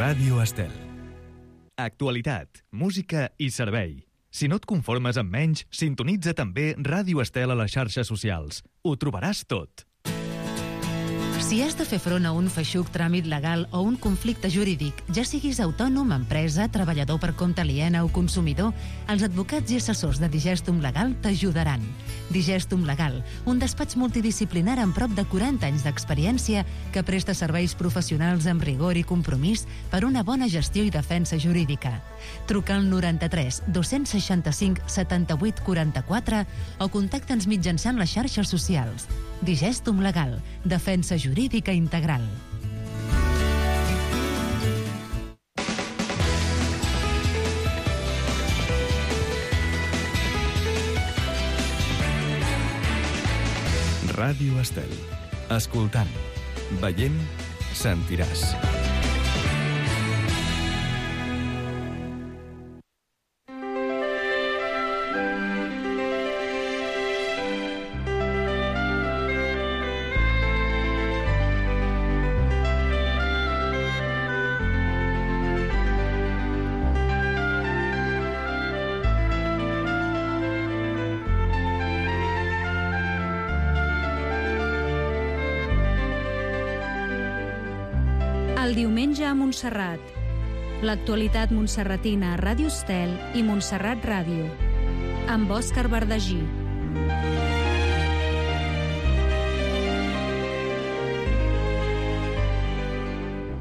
Ràdio Estel. Actualitat, música i servei. Si no et conformes amb menys, sintonitza també Ràdio Estel a les xarxes socials. Ho trobaràs tot. Si has de fer front a un feixuc tràmit legal o un conflicte jurídic, ja siguis autònom, empresa, treballador per compte aliena o consumidor, els advocats i assessors de Digestum Legal t'ajudaran. Digestum Legal, un despatx multidisciplinar amb prop de 40 anys d'experiència que presta serveis professionals amb rigor i compromís per una bona gestió i defensa jurídica. Truca al 93 265 78 44 o contacta'ns mitjançant les xarxes socials. Digestum Legal, defensa jurídica integral. Ràdio Estel. Escoltant, veient, sentiràs. El diumenge a Montserrat. L'actualitat montserratina a Ràdio Estel i Montserrat Ràdio. Amb Òscar Verdagí.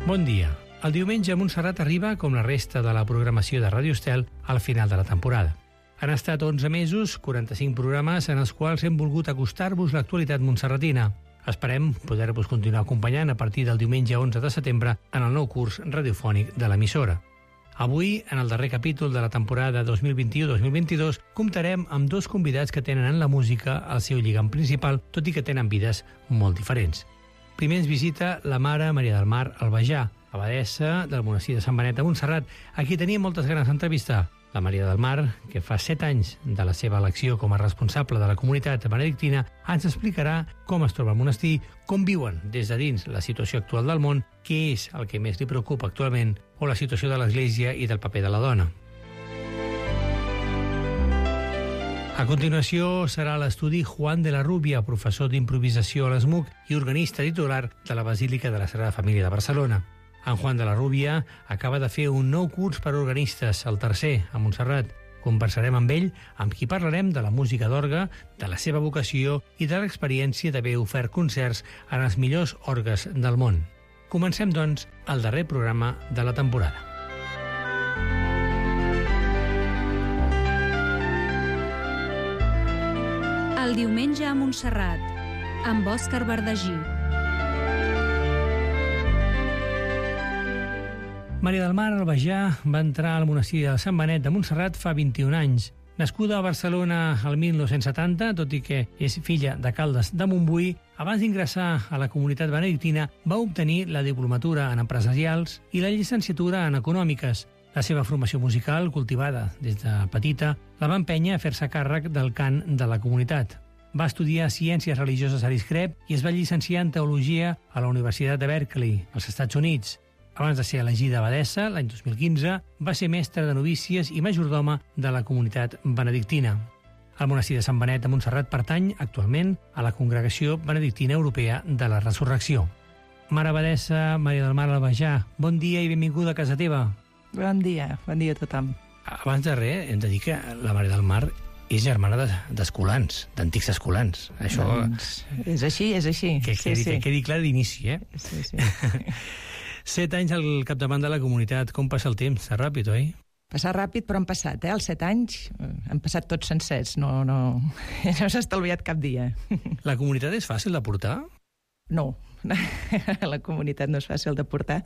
Bon dia. El diumenge a Montserrat arriba, com la resta de la programació de Ràdio Estel, al final de la temporada. Han estat 11 mesos, 45 programes en els quals hem volgut acostar-vos l'actualitat montserratina. Esperem poder-vos continuar acompanyant a partir del diumenge 11 de setembre en el nou curs radiofònic de l'emissora. Avui, en el darrer capítol de la temporada 2021-2022, comptarem amb dos convidats que tenen en la música el seu lligam principal, tot i que tenen vides molt diferents. Primer ens visita la mare Maria del Mar Albajà, abadessa del monestir de Sant Benet de Montserrat, a qui tenia moltes ganes d'entrevistar. La Maria del Mar, que fa 7 anys de la seva elecció com a responsable de la comunitat benedictina, ens explicarà com es troba el monestir, com viuen des de dins la situació actual del món, què és el que més li preocupa actualment, o la situació de l'Església i del paper de la dona. A continuació serà l'estudi Juan de la Rubia, professor d'improvisació a l'ESMUC i organista titular de la Basílica de la Sagrada Família de Barcelona. En Juan de la Rubia acaba de fer un nou curs per a organistes, el tercer, a Montserrat. Conversarem amb ell, amb qui parlarem de la música d'orgue, de la seva vocació i de l'experiència d'haver ofert concerts en els millors orgues del món. Comencem, doncs, el darrer programa de la temporada. El diumenge a Montserrat, amb Òscar Verdagí. Maria del Mar Albajà va entrar al monestir de Sant Benet de Montserrat fa 21 anys. Nascuda a Barcelona el 1970, tot i que és filla de Caldes de Montbui, abans d'ingressar a la comunitat benedictina va obtenir la diplomatura en empresarials i la llicenciatura en econòmiques. La seva formació musical, cultivada des de petita, la va empènyer a fer-se càrrec del cant de la comunitat. Va estudiar ciències religioses a l'ISCREP i es va llicenciar en teologia a la Universitat de Berkeley, als Estats Units. Abans de ser elegida abadessa, l'any 2015, va ser mestra de novícies i majordoma de la comunitat benedictina. El monestir de Sant Benet de Montserrat pertany, actualment, a la Congregació Benedictina Europea de la Resurrecció. Mare abadessa Maria del Mar Albajà, bon dia i benvinguda a casa teva. Bon dia a tothom. Abans de res, hem de dir que la Maria del Mar és germana d'escolans, d'antics escolans. Això... Doncs és així. Que quedi clar d'inici, eh? Sí. 7 anys al capdavant de la comunitat. Com passa el temps? Està ràpid, oi? Passa ràpid, però han passat, Els 7 anys han passat tots sencers. No s'ha estalviat cap dia. La comunitat és fàcil de portar? No, la comunitat no és fàcil de portar.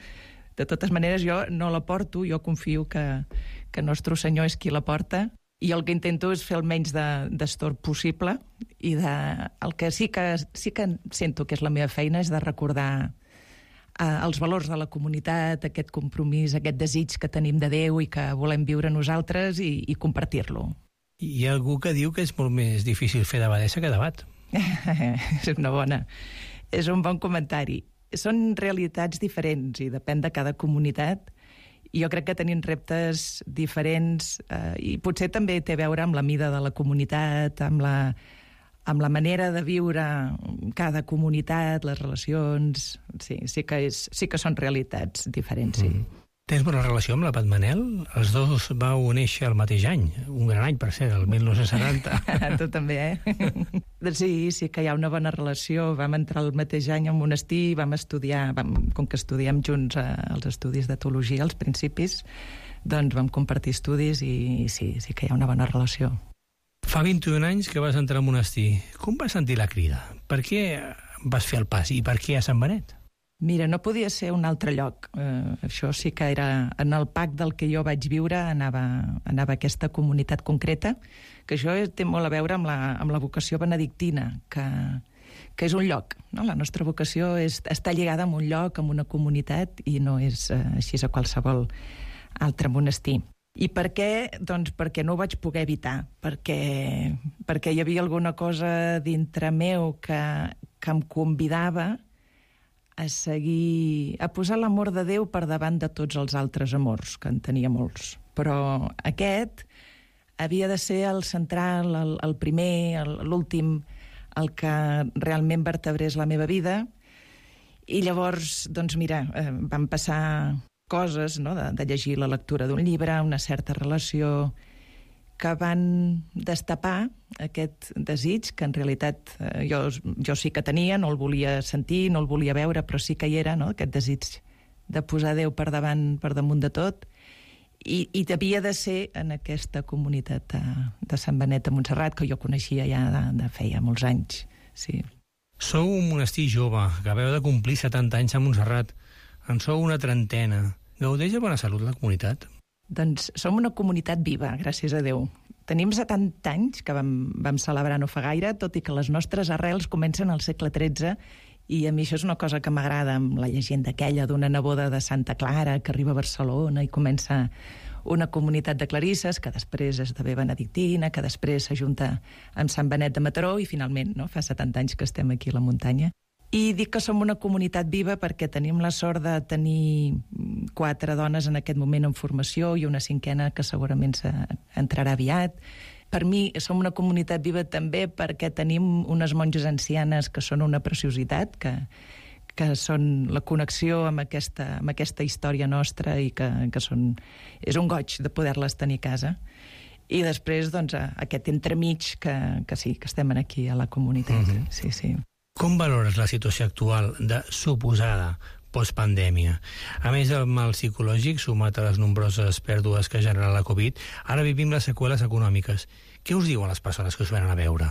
De totes maneres, jo no la porto, jo confio que Nostre Senyor és qui la porta, i el que intento és fer el menys d'estorb possible, i el que sí que sento que és la meva feina és de recordar els valors de la comunitat, aquest compromís, aquest desig que tenim de Déu i que volem viure nosaltres i compartir-lo. Hi ha algú que diu que és molt més difícil fer d'abadessa que d'abat. És un bon comentari. Són realitats diferents i depèn de cada comunitat. I jo crec que tenim reptes diferents i potser també té a veure amb la mida de la comunitat, amb la manera de viure cada comunitat, les relacions. Sí que són realitats diferents, sí. Tens bona relació amb la Pat Manel? Els dos vau néixer el mateix any, un gran any, per cert, el 1970. Tu també, Sí que hi ha una bona relació. Vam entrar el mateix any al monestir, vam estudiar, com que estudiem junts els estudis de teologia als principis, doncs vam compartir estudis i sí que hi ha una bona relació. Fa 21 anys que vas entrar al monestir. Com vas sentir la crida? Per què vas fer el pas i per què a Sant Benet? Mira, no podia ser un altre lloc. Això sí que era en el PAC del que jo vaig viure, anava a aquesta comunitat concreta, que això té molt a veure amb la vocació benedictina, que és un lloc. No? La nostra vocació està lligada a un lloc, a una comunitat, i no és així a qualsevol altre monestir. I per què? Doncs perquè no ho vaig poder evitar, perquè hi havia alguna cosa dintre meu que em convidava a seguir, a posar l'amor de Déu per davant de tots els altres amors, que en tenia molts. Però aquest havia de ser el central, el primer, l'últim, el que realment vertebrés la meva vida. I llavors, doncs mira, van passar coses, no?, de llegir la lectura d'un llibre, una certa relació, que van destapar aquest desig, que en realitat jo sí que tenia, no el volia sentir, no el volia veure, però sí que hi era, no?, aquest desig de posar Déu per damunt de tot, i havia de ser en aquesta comunitat de Sant Benet de Montserrat, que jo coneixia ja de feia molts anys, sí. Sou un monestir jove, que acabeu de complir 70 anys a Montserrat. En sou una trentena. Gaudeix de bona salut la comunitat? Doncs som una comunitat viva, gràcies a Déu. Tenim 70 anys, que vam celebrar no fa gaire, tot i que les nostres arrels comencen al segle XIII, i a mi això és una cosa que m'agrada, amb la llegenda aquella d'una neboda de Santa Clara que arriba a Barcelona i comença una comunitat de clarisses, que després esdevé benedictina, que després s'ajunta amb Sant Benet de Mataró, i finalment, no, fa 70 anys que estem aquí a la muntanya. I dic que som una comunitat viva perquè tenim la sort de tenir 4 dones en aquest moment en formació i una 5a que segurament entrarà aviat. Per mi som una comunitat viva també perquè tenim unes monges ancianes que són una preciositat, que són la connexió amb aquesta història nostra i que és un goig de poder-les tenir a casa. I després, doncs, aquest entremig que sí, que estem aquí a la comunitat. Sí, sí. Com valores la situació actual de suposada postpandèmia? A més del mal psicològic, sumat a les nombroses pèrdues que genera la Covid, ara vivim les seqüeles econòmiques. Què us diuen les persones que us venen a veure?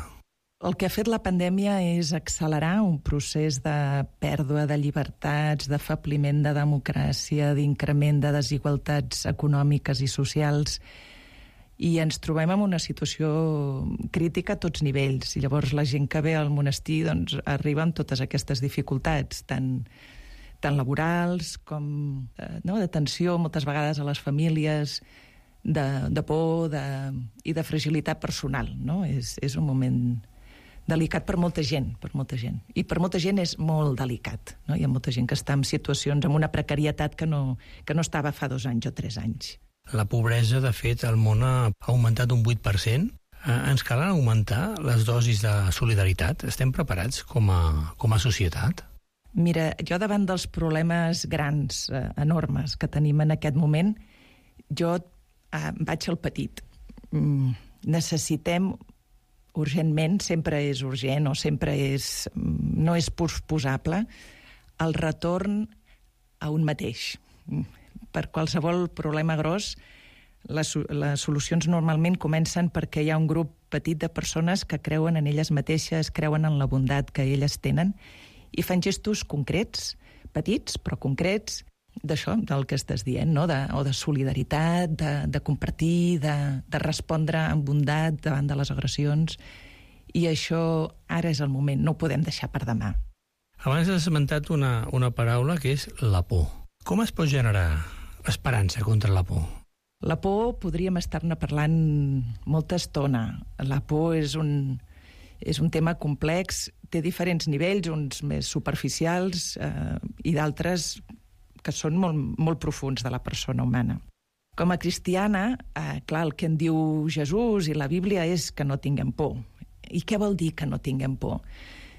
El que ha fet la pandèmia és accelerar un procés de pèrdua de llibertats, d'afebliment de democràcia, d'increment de desigualtats econòmiques i socials, i ens trobem en una situació crítica a tots nivells. I llavors la gent que ve al monestir doncs, arriba amb totes aquestes dificultats, tant laborals com de tensió moltes vegades a les famílies, de por i de fragilitat personal. No? És un moment delicat per molta gent. I per molta gent és molt delicat. No? Hi ha molta gent que està en situacions, amb una precarietat que no estava fa 2 anys o 3 anys. La pobresa, de fet, al món ha augmentat un 8%. Ens cal augmentar les dosis de solidaritat? Estem preparats com a societat? Mira, jo davant dels problemes grans, enormes, que tenim en aquest moment, jo vaig al petit. Necessitem urgentment, sempre és urgent o sempre no és posposable, el retorn a un mateix. Per qualsevol problema gros, les solucions normalment comencen perquè hi ha un grup petit de persones que creuen en elles mateixes, creuen en la bondat que elles tenen i fan gestos concrets, petits però concrets, d'això, del que estàs dient, no? O de solidaritat, de compartir, de respondre amb bondat davant de les agressions. I això ara és el moment, no ho podem deixar per demà. Abans has esmentat una paraula que és la por. Com es pot generar esperança contra la por? La por podríem estar-ne parlant molta estona. La por és un tema complex, té diferents nivells, uns més superficials i d'altres que són molt profuns de la persona humana. Com a cristiana, clar, el que en diu Jesús i la Bíblia és que no tinguem por. I què vol dir que no tinguem por?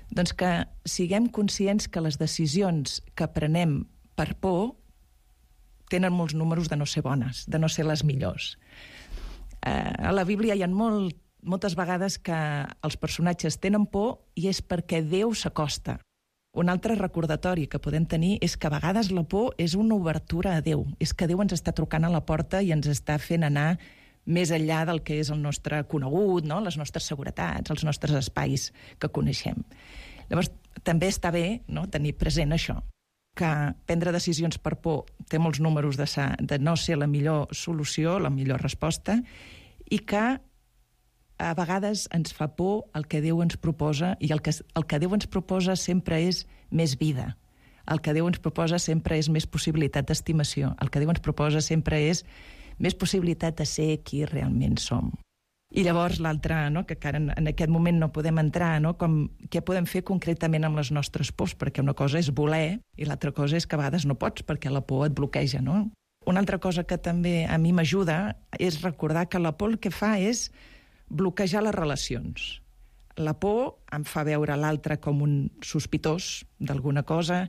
Doncs que siguem conscients que les decisions que prenem per por tenen molts números de no ser bones, de no ser les millors. A la Bíblia hi ha moltes vegades que els personatges tenen por i és perquè Déu s'acosta. Un altre recordatori que podem tenir és que a vegades la por és una obertura a Déu. És que Déu ens està trucant a la porta i ens està fent anar més enllà del que és el nostre conegut, no? Les nostres seguretats, els nostres espais que coneixem. Llavors, també està bé, no?, tenir present això, que prendre decisions per por té molts números de no ser la millor solució, la millor resposta, i que a vegades ens fa por el que Déu ens proposa, i el que Déu ens proposa sempre és més vida. El que Déu ens proposa sempre és més possibilitat d'estimació. El que Déu ens proposa sempre és més possibilitat de ser qui realment som. I llavors l'altre, no?, que encara en aquest moment no podem entrar, no?, com què podem fer concretament amb les nostres pors, perquè una cosa és voler i l'altra cosa és que a vegades no pots perquè la por et bloqueja, no? Una altra cosa que també a mi m'ajuda és recordar que la por el que fa és bloquejar les relacions. La por em fa veure l'altre com un sospitós d'alguna cosa,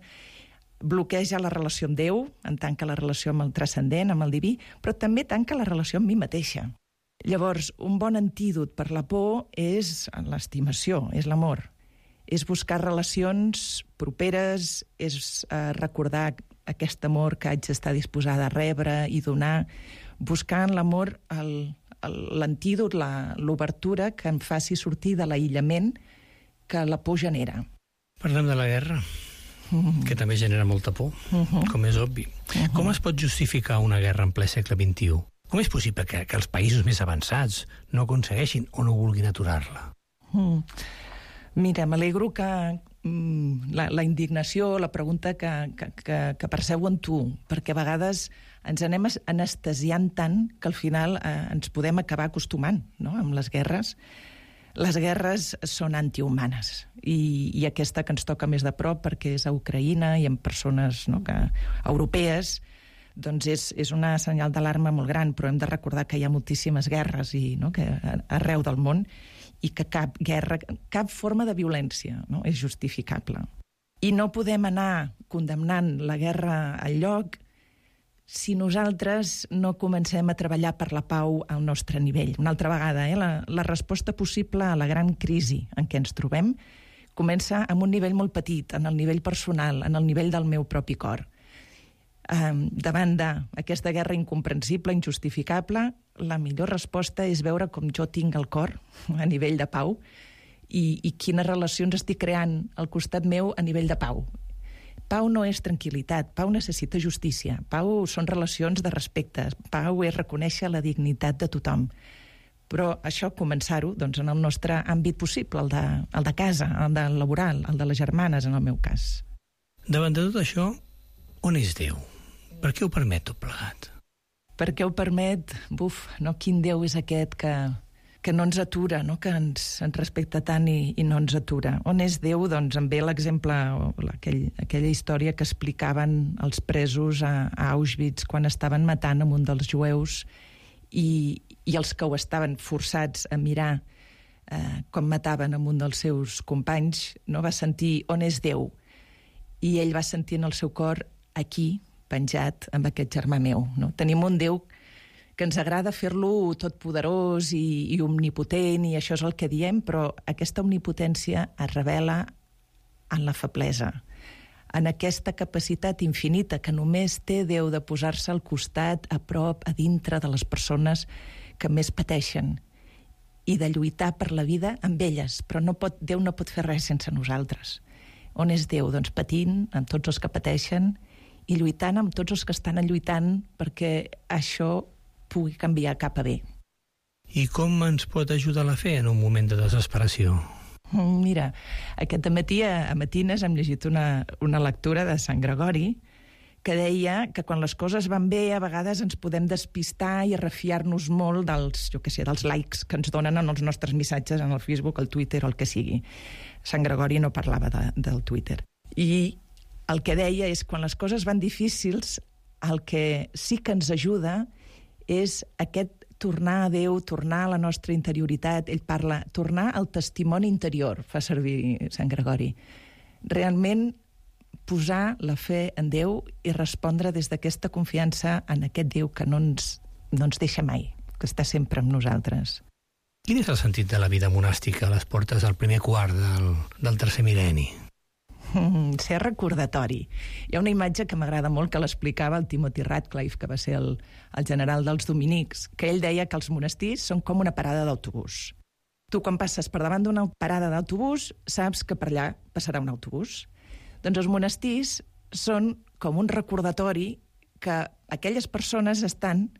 bloqueja la relació amb Déu, en tanca la relació amb el transcendent, amb el diví, però també tanca la relació amb mi mateixa. Llavors, un bon antídot per la por és l'estimació, és l'amor. És buscar relacions properes, és recordar aquest amor que haig d'estar disposada a rebre i donar, buscar en l'amor l'antídot, l'obertura que em faci sortir de l'aïllament que la por genera. Parlem de la guerra, que també genera molta por, com és obvi. Com es pot justificar una guerra en ple segle XXI? Com és possible que els països més avançats no aconsegueixin o no vulguin aturar-la? Mira, m'alegro que la indignació, la pregunta que perceu en tu, perquè a vegades ens anem anestesiant tant que al final ens podem acabar acostumant, no?, amb les guerres. Les guerres són antihumanes i aquesta que ens toca més de prop perquè és a Ucraïna i amb persones, no?, europees, doncs és una senyal d'alarma molt gran, però hem de recordar que hi ha moltíssimes guerres arreu del món i que cap guerra, cap forma de violència, no?, és justificable. I no podem anar condemnant la guerra al lloc si nosaltres no comencem a treballar per la pau al nostre nivell. Una altra vegada, la resposta possible a la gran crisi en què ens trobem comença amb un nivell molt petit, en el nivell personal, en el nivell del meu propi cor. Davant d'aquesta guerra incomprensible, injustificable, la millor resposta és veure com jo tinc el cor a nivell de pau i quines relacions estic creant al costat meu a nivell de pau. Pau no és tranquil·litat, pau necessita justícia, pau són relacions de respecte, pau és reconèixer la dignitat de tothom. Però això, començar-ho doncs, en el nostre àmbit possible, el de casa, el de laboral, el de les germanes, en el meu cas. Davant de tot això, on és Déu? Per què ho permet tot plegat? Per què ho permet? Quin Déu és aquest que no ens atura, no?, que ens respecta tant i no ens atura. On és Déu? Doncs em ve l'exemple, aquella història que explicaven els presos a Auschwitz quan estaven matant un dels jueus i els que ho estaven forçats a mirar com mataven un dels seus companys, no va sentir on és Déu. I ell va sentir en el seu cor aquí, penjat amb aquest germà meu. No? Tenim un Déu que ens agrada fer-lo totpoderós i omnipotent, i això és el que diem, però aquesta omnipotència es revela en la feblesa, en aquesta capacitat infinita que només té Déu de posar-se al costat, a prop, a dintre de les persones que més pateixen i de lluitar per la vida amb elles, però Déu no pot fer res sense nosaltres. On és Déu? Doncs patint amb tots els que pateixen i lluitant amb tots els que estan lluitant perquè això pugui canviar cap a bé. I com ens pot ajudar la fe en un moment de desesperació? Mira, aquest matí a Matines hem llegit una lectura de Sant Gregori que deia que quan les coses van bé a vegades ens podem despistar i refiar-nos molt dels likes que ens donen en els nostres missatges en el Facebook, el Twitter o el que sigui. Sant Gregori no parlava del Twitter. I el que deia és quan les coses van difícils, el que sí que ens ajuda és aquest tornar a Déu, tornar a la nostra interioritat. Ell parla, tornar al testimoni interior, fa servir Sant Gregori. Realment posar la fe en Déu i respondre des d'aquesta confiança en aquest Déu que no ens deixa mai, que està sempre amb nosaltres. Quin és el sentit de la vida monàstica a les portes del primer quart del tercer mil·lenni? Ser recordatori. Hi ha una imatge que m'agrada molt que l'explicava el Timothy Radcliffe, que va ser el general dels dominics, que ell deia que els monestirs són com una parada d'autobús. Tu, quan passes per davant d'una parada d'autobús, saps que per allà passarà un autobús. Doncs els monestirs són com un recordatori que aquelles persones estan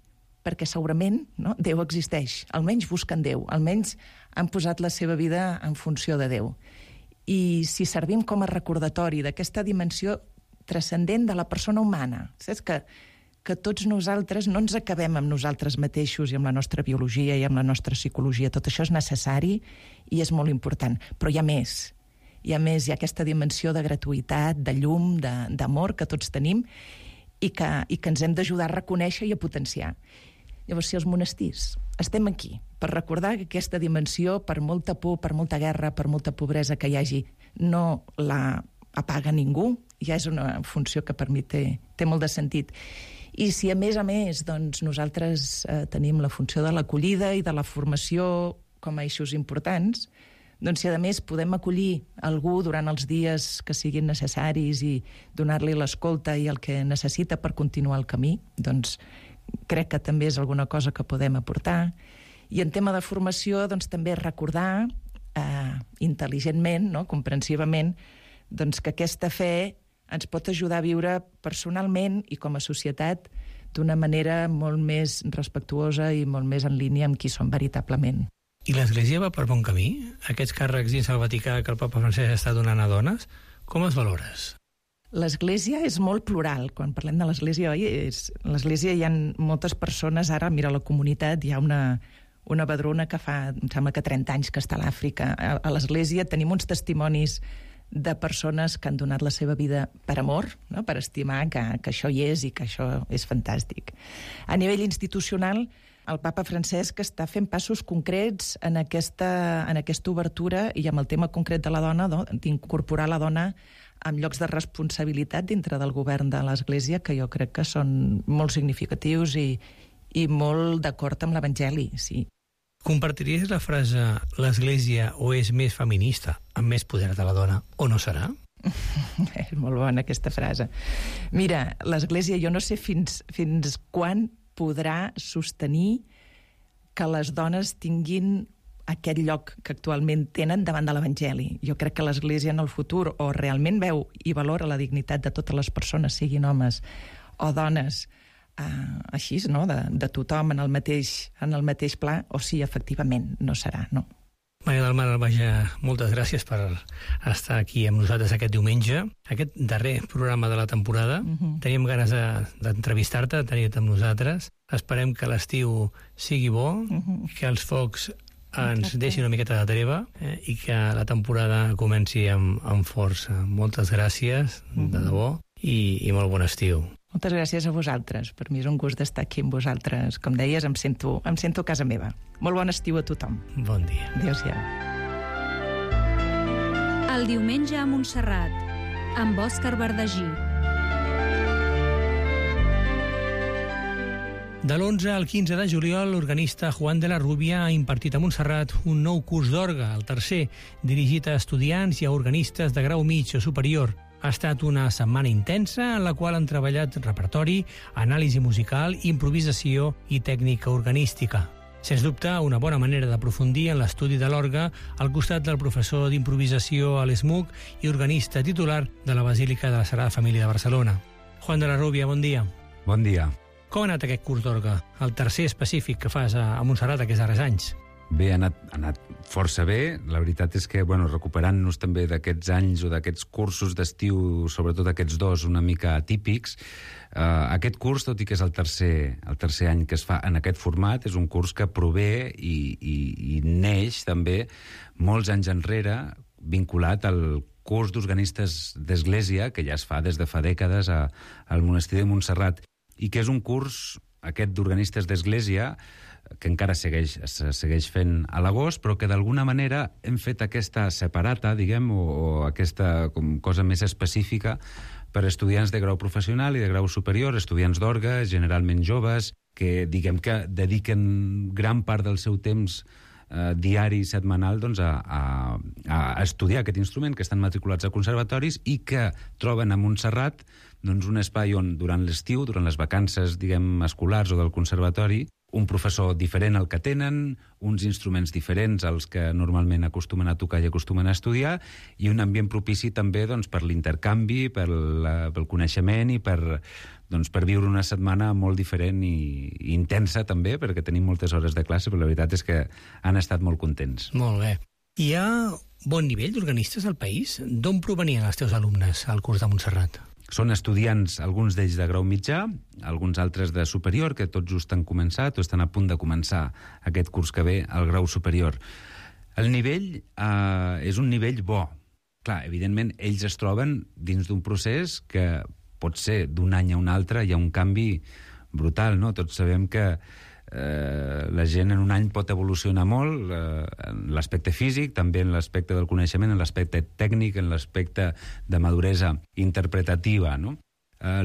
perquè segurament Déu existeix, almenys busquen Déu, almenys han posat la seva vida en funció de Déu. I si servim com a recordatori d'aquesta dimensió transcendent de la persona humana, saps que tots nosaltres no ens acabem amb nosaltres mateixos i amb la nostra biologia i amb la nostra psicologia, tot això és necessari i és molt important, però hi ha més. Hi ha aquesta dimensió de gratuïtat, de llum, d'amor que tots tenim i que ens hem d'ajudar a reconèixer i a potenciar. Llavors, si els monestirs estem aquí per recordar que aquesta dimensió, per molta por, per molta guerra, per molta pobresa que hi hagi, no la apaga ningú, ja és una funció que per mi té molt de sentit. I si a més, doncs, nosaltres tenim la funció de l'acollida i de la formació com a eixos importants, doncs si a més podem acollir algú durant els dies que siguin necessaris i donar-li l'escolta i el que necessita per continuar el camí, doncs crec que també és alguna cosa que podem aportar. I en tema de formació, doncs també recordar intel·ligentment, comprensivament, doncs que aquesta fe ens pot ajudar a viure personalment i com a societat d'una manera molt més respectuosa i molt més en línia amb qui som veritablement. I l'Església va per bon camí? Aquests càrrecs dins el Vaticà que el papa Francesc està donant a dones, com els valores? L'Església és molt plural. Quan parlem de l'Església, l'Església hi ha moltes persones, ara, mira, a la comunitat hi ha una vedruna que fa, em sembla que 30 anys que està a l'Àfrica. A l'Església tenim uns testimonis de persones que han donat la seva vida per amor, per estimar que això hi és i que això és fantàstic. A nivell institucional, el papa Francesc està fent passos concrets en aquesta obertura i amb el tema concret de la dona, d'incorporar la dona amb llocs de responsabilitat dintre del govern de l'Església, que jo crec que són molt significatius i molt d'acord amb l'Evangeli, sí. Compartiries la frase l'Església o és més feminista amb més poder de la dona o no serà? És molt bona aquesta frase. Mira, l'Església jo no sé fins quan podrà sostenir que les dones tinguin aquest lloc que actualment tenen davant de l'Evangeli. Jo crec que l'Església en el futur o realment veu i valora la dignitat de totes les persones, siguin homes o dones, així, de tothom en el mateix pla, o sí, efectivament, no serà, no. Maria del Mar Albaja, moltes gràcies per estar aquí amb nosaltres aquest diumenge, aquest darrer programa de la temporada. Teníem ganes d'entrevistar-te, de tenir-te amb nosaltres. Esperem que l'estiu sigui bo, que els focs ens deixi una miqueta de treva i que la temporada comenci amb força. Moltes gràcies, de debò, i molt bon estiu. Moltes gràcies a vosaltres. Per mi és un gust d'estar aquí amb vosaltres. Com deies, em sento a casa meva. Molt bon estiu a tothom. Bon dia. Adéu-siau. El diumenge a Montserrat, amb Òscar Verdagí. De l'11 al 15 de juliol, l'organista Juan de la Rubia ha impartit a Montserrat un nou curs d'orgue, el tercer, dirigit a estudiants i a organistes de grau mig o superior. Ha estat una setmana intensa en la qual han treballat repertori, anàlisi musical, improvisació i tècnica organística. Sens dubte, una bona manera d'aprofundir en l'estudi de l'orgue al costat del professor d'improvisació a l'ESMUC i organista titular de la Basílica de la Sagrada Família de Barcelona. Juan de la Rubia, bon dia. Bon dia. Com ha anat aquest curs d'orgue? El tercer específic que fas a Montserrat aquests darrers anys. Bé, ha anat força bé. La veritat és que, recuperant-nos també d'aquests anys o d'aquests cursos d'estiu, sobretot aquests dos una mica atípics, aquest curs, tot i que és el tercer any que es fa en aquest format, és un curs que prové i neix també molts anys enrere vinculat al curs d'organistes d'església, que ja es fa des de fa dècades al monestir de Montserrat, i que és un curs, aquest d'organistes d'església, que encara se segueix fent a l'agost, però que d'alguna manera hem fet aquesta separata, diguem, o aquesta cosa més específica per estudiants de grau professional i de grau superior, estudiants d'orgue, generalment joves, que diguem que dediquen gran part del seu temps diari i setmanal doncs, a estudiar aquest instrument, que estan matriculats a conservatoris i que troben a Montserrat doncs, un espai on durant l'estiu, durant les vacances diguem escolars o del conservatori, un professor diferent al que tenen, uns instruments diferents als que normalment acostumen a tocar i acostumen a estudiar, i un ambient propici també doncs, per l'intercanvi, pel coneixement i per viure una setmana molt diferent i intensa també, perquè tenim moltes hores de classe, però la veritat és que han estat molt contents. Molt bé. Hi ha bon nivell d'organistes al país? D'on provenien els teus alumnes al curs de Montserrat? Són estudiants, alguns d'ells de grau mitjà, alguns altres de superior, que tots just han començat o estan a punt de començar aquest curs que ve al grau superior. El nivell és un nivell bo. Clar, evidentment, ells es troben dins d'un procés que pot ser d'un any a un altre, hi ha un canvi brutal, no? Tots sabem que la gent en un any pot evolucionar molt en l'aspecte físic, també en l'aspecte del coneixement, en l'aspecte tècnic, en l'aspecte de maduresa interpretativa, no?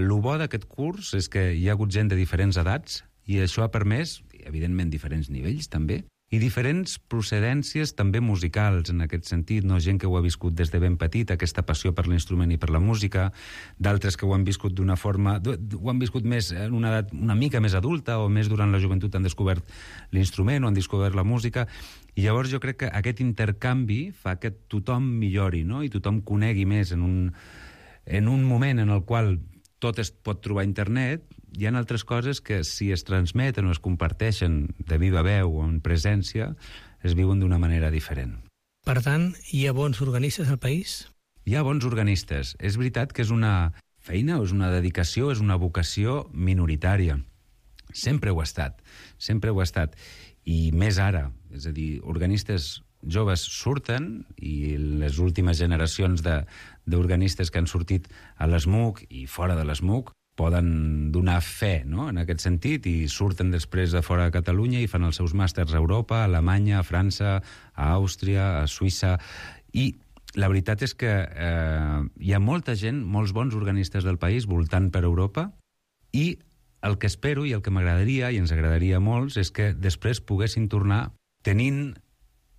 Lo bo d'aquest curs és que hi ha hagut gent de diferents edats i això ha permès, evidentment, diferents nivells també, i diferents procedències també musicals en aquest sentit, no? Gent que ho ha viscut des de ben petit, aquesta passió per l'instrument i per la música, d'altres que ho han viscut d'una forma, ho han viscut més en una edat una mica més adulta o més durant la joventut han descobert l'instrument o han descobert la música, i llavors jo crec que aquest intercanvi fa que tothom millori, no? I tothom conegui més en un moment en el qual tot es pot trobar a internet. Hi ha altres coses que si es transmeten o es comparteixen de viva veu o en presència, es viuen d'una manera diferent. Per tant, hi ha bons organistes al país? Hi ha bons organistes. És veritat que és una feina, o és una dedicació, és una vocació minoritària. Sempre ho ha estat, sempre ho ha estat. I més ara, és a dir, organistes joves surten i les últimes generacions d'organistes que han sortit a l'ESMUC i fora de l'ESMUC poden donar fe, no?, en aquest sentit, i surten després de fora de Catalunya i fan els seus màsters a Europa, a Alemanya, a França, a Àustria, a Suïssa, i la veritat és que hi ha molta gent, molts bons organistes del país voltant per Europa, i el que espero i el que m'agradaria, i ens agradaria a molts, és que després poguessin tornar tenint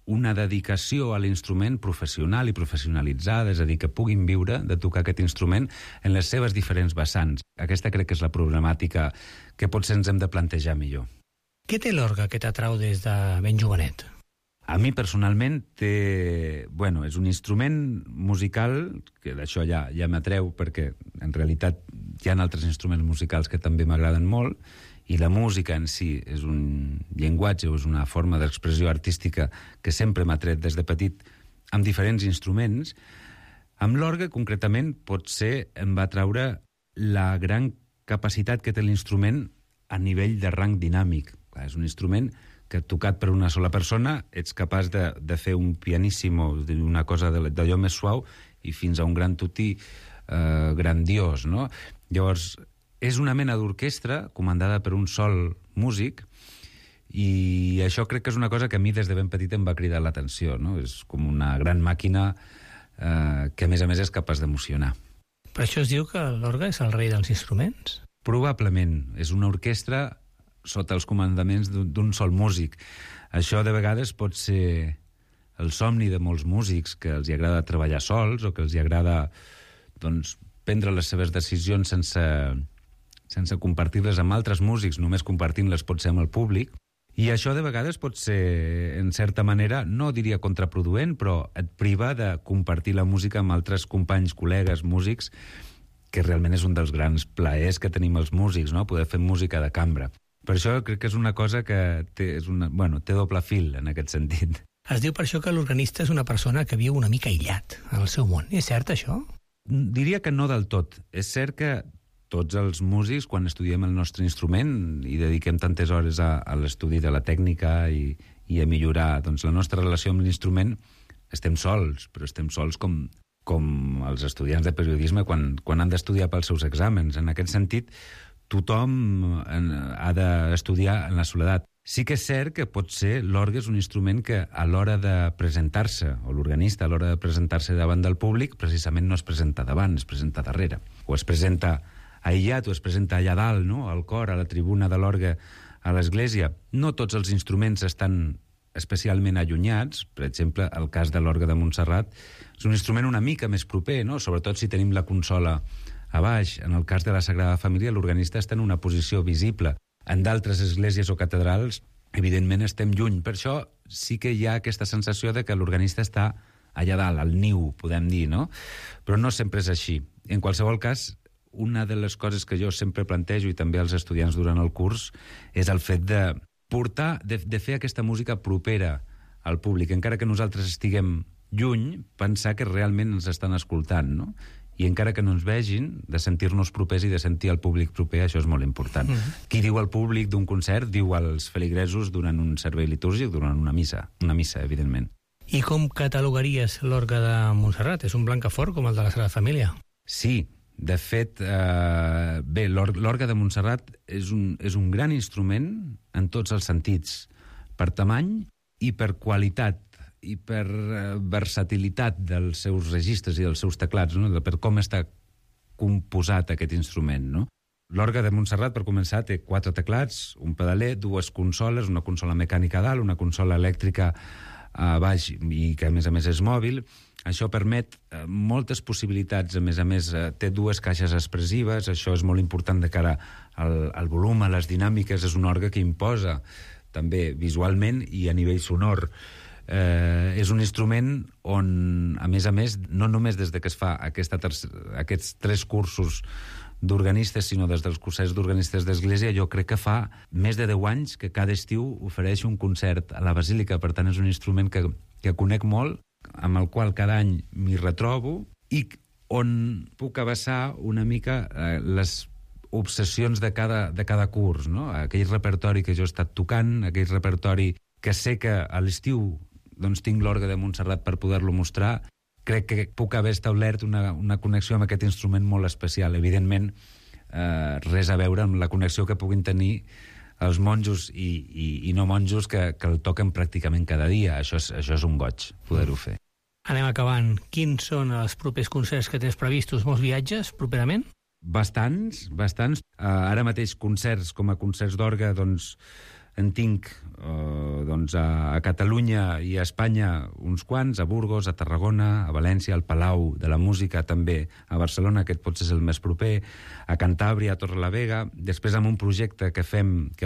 una dedicació a l'instrument professional i professionalitzada, és a dir, que puguin viure de tocar aquest instrument en les seves diferents vessants. Aquesta crec que és la problemàtica que potser ens hem de plantejar millor. Què té l'orgue que t'atrau des de ben jovenet? A mi personalment és un instrument musical, que d'això ja m'atreu perquè en realitat hi ha altres instruments musicals que també m'agraden molt, i la música en si és un llenguatge o és una forma d'expressió artística que sempre m'ha tret des de petit amb diferents instruments. Amb l'orgue, concretament, potser em va traure la gran capacitat que té l'instrument a nivell de rang dinàmic. És un instrument que, tocat per una sola persona, ets capaç de fer un pianissimo, una cosa d'allò més suau, i fins a un gran tutí grandiós, no? Llavors, és una mena d'orquestra comandada per un sol músic, i això crec que és una cosa que a mi des de ben petit em va cridar l'atenció, no? És com una gran màquina que a més és capaç d'emocionar. Per això es diu que l'orgue és el rei dels instruments? Probablement. És una orquestra sota els comandaments d'un sol músic. Això de vegades pot ser el somni de molts músics, que els hi agrada treballar sols o que els hi agrada prendre les seves decisions sense compartir-les amb altres músics, només compartint-les pot ser amb el públic. I això de vegades pot ser, en certa manera, no diria contraproduent, però et priva de compartir la música amb altres companys, col·legues, músics, que realment és un dels grans plaers que tenim els músics, no?, poder fer música de cambra. Per això crec que és una cosa que té doble fil en aquest sentit. Es diu per això que l'organista és una persona que viu una mica aïllat en el seu món. És cert, això? Diria que no del tot. És cert que tots els músics, quan estudiem el nostre instrument i dediquem tantes hores a l'estudi de la tècnica i a millorar la nostra relació amb l'instrument, estem sols, però estem sols com com els estudiants de periodisme quan han d'estudiar pels seus exàmens. En aquest sentit, tothom ha d'estudiar en la soledat. Sí que és cert que pot ser l'orgue és un instrument que a l'hora de presentar-se, o l'organista a l'hora de presentar-se davant del públic, precisament no es presenta davant, es presenta darrere. O es presenta aïllat, o es presenta allà dalt, no? Al cor, a la tribuna de l'orgue, a l'església. No tots els instruments estan especialment allunyats. Per exemple, el cas de l'orgue de Montserrat és un instrument una mica més proper, no? Sobretot si tenim la consola a baix. En el cas de la Sagrada Família, l'organista està en una posició visible. En d'altres esglésies o catedrals, evidentment, estem lluny. Per això sí que hi ha aquesta sensació de que l'organista està allà dalt, al niu, podem dir, no? Però no sempre és així. En qualsevol cas, una de les coses que jo sempre plantejo, i també als estudiants durant el curs, és el fet de portar, de fer aquesta música propera al públic. Encara que nosaltres estiguem lluny, pensar que realment ens estan escoltant, no? I encara que no ens vegin, de sentir-nos propers i de sentir el públic proper, això és molt important. Qui diu al públic d'un concert, diu als feligresos durant un servei litúrgic, durant una missa, evidentment. I com catalogaries l'orgue de Montserrat? És un blancafort com el de la Sagrada Família? Sí, de fet, bé, l'orgue de Montserrat és un gran instrument en tots els sentits, per tamany i per qualitat, i per versatilitat dels seus registres i dels seus teclats, no? Per com està composat aquest instrument, no? L'orgue de Montserrat, per començar, té 4 teclats, un pedaler, 2 consoles, una consola mecànica a dalt, una consola elèctrica a baix i que, a més és mòbil. Això permet moltes possibilitats. A més, té 2 caixes expressives. Això és molt important de cara al volum, a les dinàmiques. És un orgue que imposa també visualment i a nivell sonor. És un instrument on, a més, no només des que es fa aquests 3 cursos d'organistes, sinó des dels cursets d'organistes d'Església, jo crec que fa més de 10 anys que cada estiu ofereix un concert a la Basílica. Per tant, és un instrument que conec molt, amb el qual cada any m'hi retrobo i on puc abassar una mica les obsessions de cada curs, no? Aquell repertori que jo he estat tocant, aquell repertori que sé que a l'estiu tinc l'orgue de Montserrat per poder-lo mostrar. Crec que puc haver establert una connexió amb aquest instrument molt especial. Evidentment, res a veure amb la connexió que puguin tenir els monjos i no monjos que el toquen pràcticament cada dia. Això és un goig, poder-ho fer. Anem acabant. Quins són els propers concerts que tens previstos? Molts viatges, properament? Bastants. Ara mateix concerts com a concerts d'orgue, en tinc a Catalunya i a Espanya uns quants, a Burgos, a Tarragona, a València, al Palau de la Música, també a Barcelona, aquest potser és el més proper, a Cantàbria, a Torrelavega. Després amb un projecte que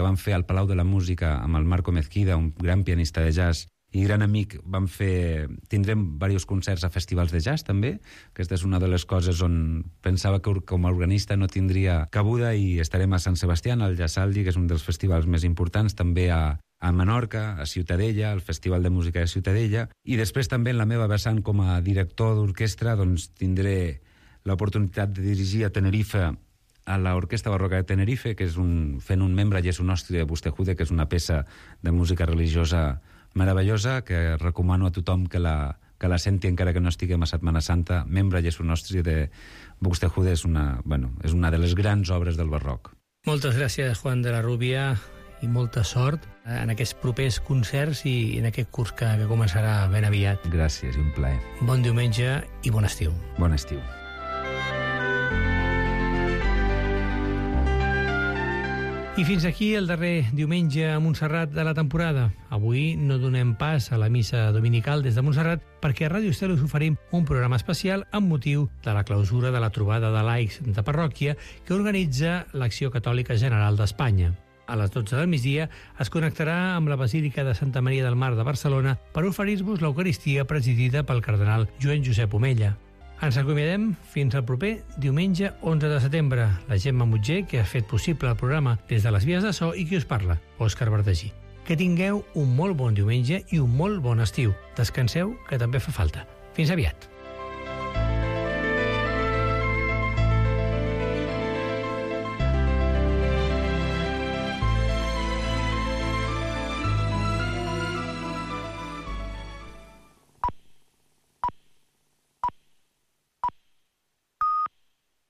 vam fer al Palau de la Música amb el Marco Mezquida, un gran pianista de jazz i gran amic, tindrem diversos concerts a festivals de jazz també. Aquesta és una de les coses on pensava que com a organista no tindria cabuda, i estarem a Sant Sebastià, al Jazzaldi, que és un dels festivals més importants, també a Menorca, a Ciutadella, al Festival de Música de Ciutadella, i després també en la meva vessant com a director d'orquestra tindré l'oportunitat de dirigir a Tenerife a l'Orquestra Barroca de Tenerife, que és fent un membre Jesu Nostri de Buxtehude, que és una peça de música religiosa meravellosa, que recomano a tothom que la senti encara que no estiguem a Setmana Santa. Membre Jesu Nostri de Buxtehude és una de les grans obres del barroc. Moltes gràcies, Juan de la Rubia, i molta sort en aquests propers concerts i en aquest curs que començarà ben aviat. Gràcies, i un plaer. Bon diumenge i bon estiu. Bon estiu. I fins aquí el darrer diumenge a Montserrat de la temporada. Avui no donem pas a la missa dominical des de Montserrat perquè a Ràdio Estel us oferim un programa especial amb motiu de la clausura de la trobada de laics de parròquia que organitza l'Acció Catòlica General d'Espanya. A les 12 del migdia es connectarà amb la Basílica de Santa Maria del Mar de Barcelona per oferir-vos l'Eucaristia presidida pel cardenal Joan Josep Omella. Ens acomiadem fins al proper diumenge 11 de setembre. La Gemma Mutger, que ha fet possible el programa des de les vies de so, i qui us parla, Òscar Verdagí. Que tingueu un molt bon diumenge i un molt bon estiu. Descanseu, que també fa falta. Fins aviat.